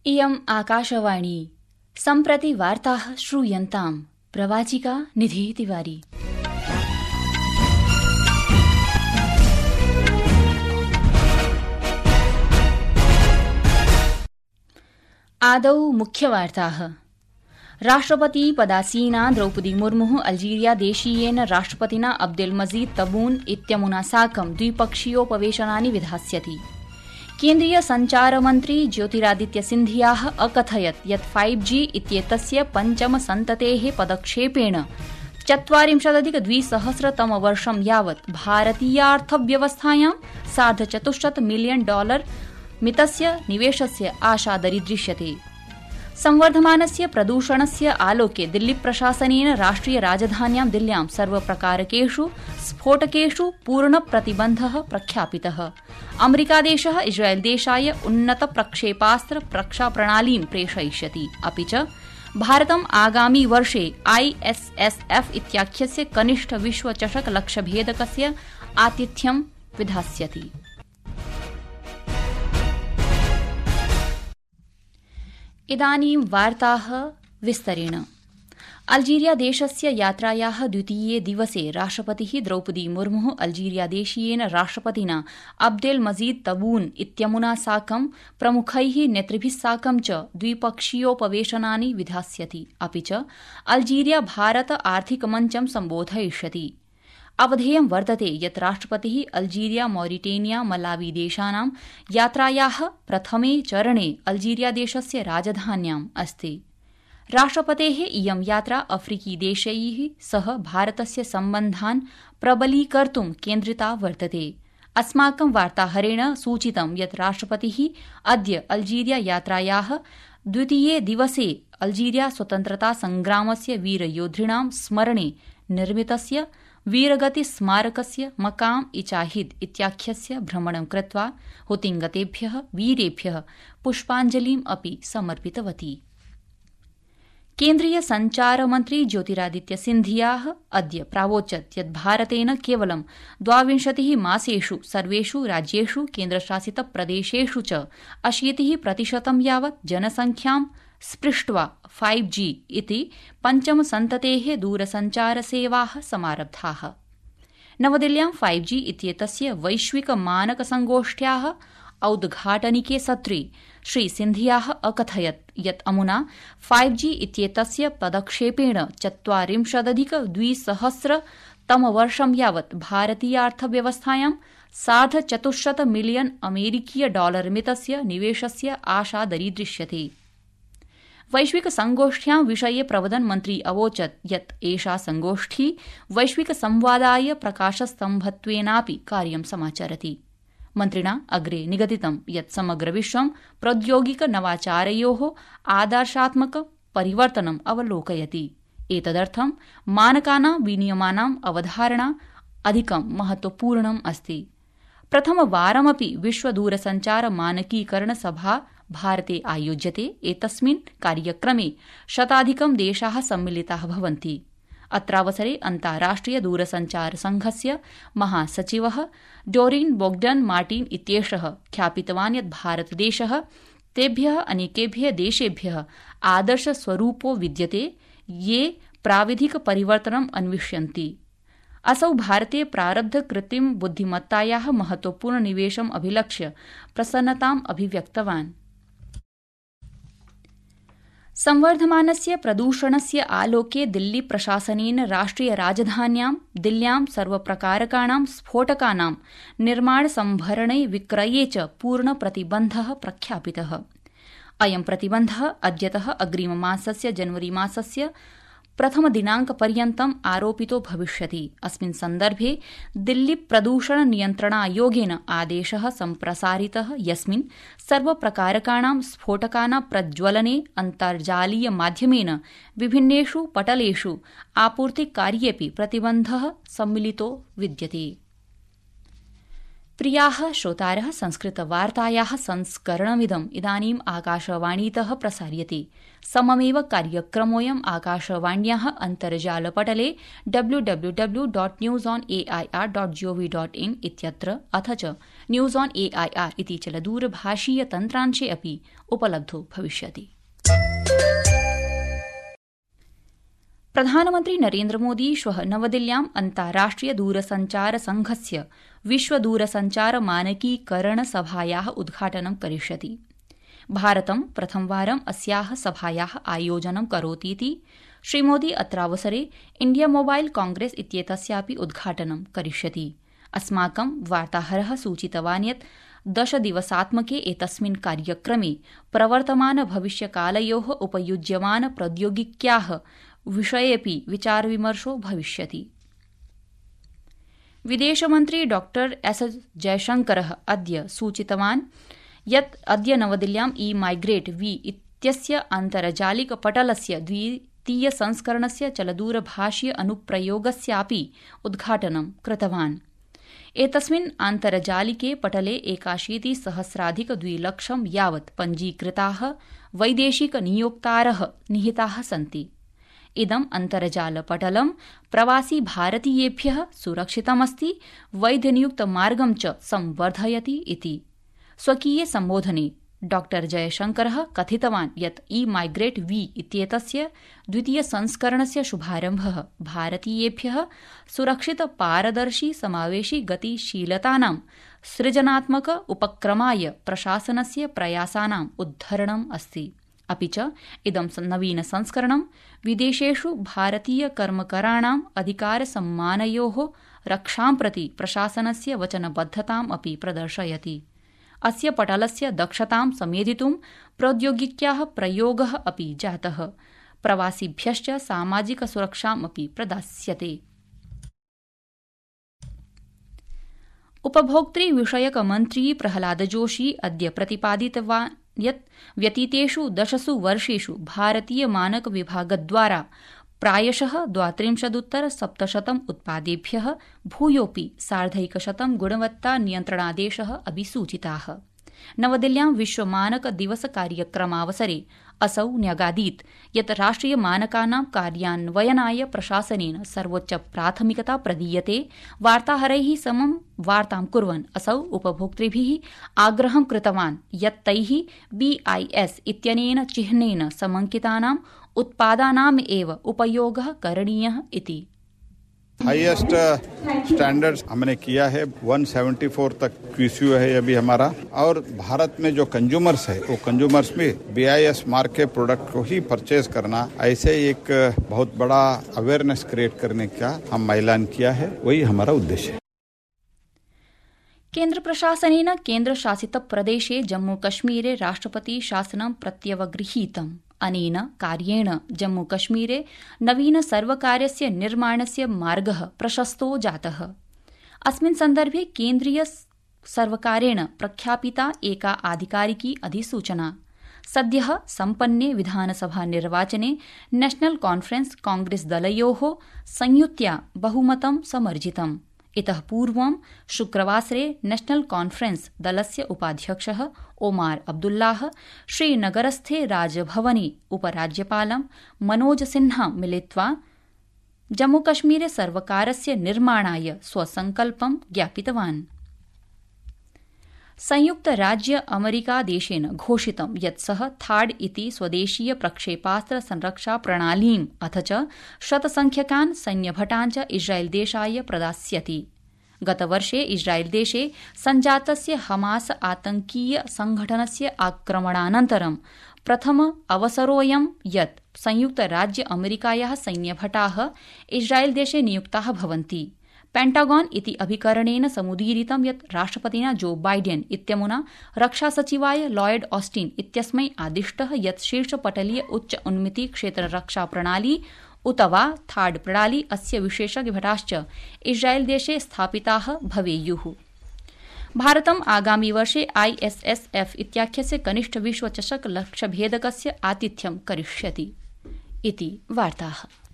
इयम् आकाशवाणी सम्प्रति वार्ताः श्रूयन्ताम् प्रवाचिका निधि तिवारी। आदौ मुख्यवार्ताः। राष्ट्रपति पदासीना द्रौपदी मुर्मुः अल्जीरिया देशीयेन राष्ट्रपतिना अब्देल मजीद तबून इत्यमुना साकं द्विपक्षीयोपवेशनानि विधास्यति। केन्द्रीय सञ्चारमन्त्री ज्योतिरादित्य सिन्धियाः अकथयत् यत् 5G इत्येतस्य पञ्चमसन्ततेः पदक्षेपेण 40,200 यावत् भारतीयार्थव्यवस्थायां $450 मिलियन मितस्य निवेशस्य आशा दरीदृश्यते। संवर्धमानस्य प्रदूषणस्य आलोके दिल्लीप्रशासनेन राष्ट्रिय राजधान्यां दिल्ल्यां सर्वप्रकारकेषु स्फोटकेषु पूर्णप्रतिबन्धः प्रख्यापितः। अमेरिकादेशः इस्राएलदेशाय उन्नतप्रक्षेपास्त्र रक्षाप्रणालीं प्रेषयिष्यति। अपि च भारतम् आगामि वर्षे ISSF इत्याख्यस्य कनिष्ठ विश्वचषक लक्ष्यभेदकस्य आतिथ्यं विधास्यति। इदानीं वार्ताः विस्तरेण। अल्जीरिया देशस्य यात्रायाः द्वितीये दिवसे राष्ट्रपतिः द्रौपदी मुर्मुः अल्जीरिया देशीयेन राष्ट्रपतिना अब्देल मजीद तबून इत्यमुना साकं प्रमुखैः नेतृभिः साकं च द्विपक्षीयोपवेशनानि विधास्यति। अपि च अल्जीरिया भारत आर्थिकमञ्चं सम्बोधयिष्यति। अवधेयं वर्तते यत् राष्ट्रपतिः अल्जीरिया मॉरिटेनिया मलावी देशानां यात्रायाः प्रथमे चरणे अल्जीरिया देशस्य राजधान्याम् अस्ति। राष्ट्रपतेः इयं यात्रा अफ्रीकी देशैः सह भारतस्य सम्बन्धान् प्रबलीकर्तुं केन्द्रिता वर्तते। अस्माकं वार्ताहरेण सूचितं यत् राष्ट्रपतिः अद्य अल्जीरिया यात्रायाः द्वितीये दिवसे अल्जीरिया स्वतन्त्रता संग्रामस्य वीरयोद्धॄणां स्मरणे निर्मितस्य वीरगति स्मारकस्य मकाम इचाहिद इत्याख्यस्य भ्रमणं कृत्वा हुतिंगतेभ्यः वीरेभ्यः पुष्पाञ्जलिम् अपि समर्पितवती। केन्द्रीय सञ्चारमन्त्री ज्योतिरादित्य सिन्धियाः अद्य प्रावोचत् यत् भारतेन केवलं 22 मासेषु सर्वेषु राज्येषु केन्द्रशासितप्रदेशेषु च 80% यावत् जनसंख्यां स्पृष्ट्वा 5G इति पञ्चमसन्ततेः दूरसञ्चारसेवाः समारब्धाः। नवदिल्ल्यां 5G इत्येतस्य वैश्विकमानकसङ्गोष्ठ्याः औद्घाटनिके सत्रे श्रीसिन्धियाः अकथयत् यत् अमुना 5G इत्येतस्य पदक्षेपेण 40,200 तमवर्षं यावत् भारतीयार्थव्यवस्थायां $450 मिलियन मितस्य निवेशस्य आशा दरीदृश्यते। वैश्विक संगोष्ठ्यां विषये प्रवदन् मन्त्री अवोचत् यत् एषा संगोष्ठी वैश्विक संवादाय प्रकाशस्तम्भत्वेनापि कार्यं समाचरति। मन्त्रिणा अग्रे निगदितं यत् समग्र विश्वं प्रौद्योगिक नवाचारयोः आदर्शात्मक परिवर्तनम् अवलोकयति। एतदर्थं मानकानां विनियमानाम् अवधारणा अधिकं महत्वपूर्णम् अस्ति। प्रथमवारमपि विश्व दूरसञ्चार मानकीकरण सभा भारते आयोज्यते। एतस्मिन् कार्यक्रमे 100 देशाः सम्मिलिताः भवन्ति। अत्रावसरे अन्ताराष्ट्रिय दूरसञ्चार संघस्य महासचिवः डोरिन बोग्डन मार्टिन इत्येषः ख्यापितवान् यत् भारतदेशः तेभ्यः अनेकेभ्यः देशेभ्यः आदर्शस्वरूपो विद्यते ये प्राविधिक परिवर्तनम् अन्विष्यन्ति। असौ भारते प्रारब्ध कृत्रिम बुद्धिमत्तायाः महत्वपूर्ण निवेशम् अभिलक्ष्य प्रसन्नताम् अभिव्यक्तवान्। संवर्धमानस्य प्रदूषणस्य आलोके दिल्ली प्रशासनेन राष्ट्रिय राजधान्यां दिल्ल्यां सर्वप्रकारकाणां स्फोटकानां निर्माणसम्भरणे विक्रये च पूर्णप्रतिबन्धः प्रख्यापितः। अयं प्रतिबन्धः अद्यतः अग्रिममासस्य जनवरीमासस्य प्रथमदिनाङ्कपर्यन्तम् आरोपितो भविष्यति। अस्मिन् सन्दर्भे दिल्ली प्रदूषण नियन्त्रणायोगेन आदेशः सम्प्रसारितः यस्मिन् सर्वप्रकारकाणां स्फोटकानां प्रज्वलने अन्तर्जालीय माध्यमेन विभिन्नेषु पटलेषु आपूर्तिकार्येऽपि प्रतिबन्धः सम्मिलितो विद्यते। प्रियाः श्रोतारः, संस्कृतवार्तायाः संस्करणमिदम् इदानीम् आकाशवाणीतः प्रसार्यते। सममेव कार्यक्रमोऽयम् आकाशवाण्याः अन्तर्जालपटले www.newsonair.gov.in इत्यत्र अथ च न्यूज़ ऑन एआईआर इति चलदूरभाषीय तन्त्रांशे अपि उपलब्धो भविष्यति। प्रधानमन्त्री नरेन्द्रमोदी श्वः नवदिल्ल्याम् अन्ताराष्ट्रिय दूरसञ्चार संघस्य विश्व दूरसञ्चार मानकीकरण सभायाः उद्घाटनं करिष्यति। भारतं प्रथमवारम् अस्याः सभायाः आयोजनं करोतीति श्रीमोदी अत्रावसरे इंडिया मोबाइल कांग्रेस इत्येतस्यापि उद्घाटनं करिष्यति। अस्माकं वार्ताहरः सूचितवान् यत् 10 दिवसात्मके एतस्मिन् कार्यक्रमे प्रवर्तमान भविष्यकालयोः उपयुज्यमान प्रौद्योगिक्याः विषयेऽपि विचारविमर्शो भविष्यति। विदेशमन्त्री डॉ एस जयशंकरः अद्य सूचितवान् यत् अद्य नवदिल्ल्यां ई-माइग्रेट वी इत्यस्य आन्तर्जालिक पटलस्य द्वितीय संस्करणस्य चलदूरभाषीय अनुप्रयोगस्यापि उद्घाटनं कृतवान्। एतस्मिन् आन्तर्जालिके पटले 81,000,200 यावत् पञ्जीकृताः वैदेशिक नियोक्तारः निहिताः सन्ति। इदम् अन्तर्जालपटलं प्रवासी भारतीयेभ्यः सुरक्षितमस्ति, वैधनियुक्तमार्गं च संवर्धयति इति। स्वकीये सम्बोधने डॉ जयशंकरः कथितवान् यत् ई-माइग्रेट वी इत्येतस्य द्वितीय संस्करणस्य शुभारम्भः भारतीयेभ्यः सुरक्षित पारदर्शी समावेशी गतिशीलतानां सृजनात्मक उपक्रमाय प्रशासनस्य प्रयासानाम् उद्धरणम् अस्ति। अपि च इदं नवीन संस्करणं विदेशेषु भारतीय कर्मकराणाम् अधिकारसम्मानयोः रक्षां प्रति प्रशासनस्य वचनबद्धताम् अपि प्रदर्शयति। अस्य पटलस्य दक्षतां समेधितुं प्रौद्योगिक्याः प्रयोगः अपि जातः। प्रवासिभ्यश्च सामाजिक सुरक्षामपि प्रदास्यते। उपभोक्तृ विषयक मन्त्री प्रहलाद जोशी अद्य प्रतिपादितवान् यत् व्यतीतेषु 10 वर्षेषु भारतीय मानक विभागद्वारा प्रायशः 32,700 उत्पादेभ्यः भूयोऽपि 1,100 गुणवत्ता नियन्त्रणादेशः अभिसूचिताः। नवदिल्ल्यां विश्व मानक दिवस कार्यक्रमावसरे असौ न्यगादीत् यत् राष्ट्रिय मानकानां कार्यान्वयनाय प्रशासनेन सर्वोच्च प्राथमिकता प्रदीयते। वार्ताहरैः समं वार्तां कुर्वन् असौ उपभोक्तृभिः आग्रहं कृतवान् यत् तैः BIS इत्यनेन चिह्नेन समङ्कितानाम् उत्पादानाम् एव उपयोगः करणीयः इति। हाईएस्ट स्टैंडर्ड्स हमने किया है, 174 तक QCU है अभी हमारा। और भारत में जो कंज्यूमर्स है वो कंज्यूमर्स में BIS मार्क के प्रोडक्ट को ही परचेज करना, ऐसे एक बहुत बड़ा अवेयरनेस क्रिएट करने का हम ऐलान किया है, वही हमारा उद्देश्य है। केन्द्र प्रशासनेन केन्द्रशासित प्रदेशे जम्मूकश्मीरे राष्ट्रपति शासनं प्रत्यवगृहीतम्। अनेन कार्येण जम्मूकश्मीरे नवीन सर्वकारस्य निर्माणस्य मार्गः प्रशस्तो जातः। अस्मिन् सन्दर्भे केन्द्रीय सर्वकारेण प्रख्यापिता एका आधिकारिकी अधिसूचना। सद्यः सम्पन्ने विधानसभा निर्वाचने नेशनल कॉन्फ्रेंस कांग्रेस दलयोः संयुत्या बहुमतं समर्जितम्। इतः पूर्वं शुक्रवासरे नेशनल कॉन्फ्रेंस दलस्य उपाध्यक्षः ओमार अब्दुल्लाह श्रीनगरस्थे राजभवने उपराज्यपालं मनोज सिन्हा मिलित्वा जम्मूकश्मीरे सर्वकारस्य निर्माणाय स्वसंकल्पं ज्ञापितवान्। संयुक्त राज्य अमेरिका देशेन घोषितं यत् सः थाड इति स्वदेशीय प्रक्षेपास्त्र संरक्षा प्रणालीम् अथ च शतसंख्यकान् सैन्यभटान् च इस्राएल देशाय प्रदास्यति। गतवर्षे इस्राएल देशे सञ्जातस्य हमास आतंकीय संघटनस्य आक्रमणानन्तरं प्रथम अवसरोऽयं यत् संयुक्त राज्य अमेरिकायाः सैन्यभटाः इस्राएल देशे नियुक्ताः भवन्ति। पेंटागन इति अभिकरणेन समुदीरितं यत् राष्ट्रपतिना जो बाइडेन इत्यमुना रक्षासचिवाय लॉयड ऑस्टिन इत्यस्मै आदिष्टः यत् शीर्षपटलीय उच्च उन्मिति क्षेत्र रक्षा प्रणाली उत वा थाड प्रणाली अस्य विशेषज्ञभटाश्च इस्राएल देशे स्थापिताः भवेयुः। भारतम् आगामि वर्षे ISSF इत्याख्यस्य कनिष्ठ विश्वचषक लक्ष्यभेदकस्य आतिथ्यं करिष्यति इति वार्ताः।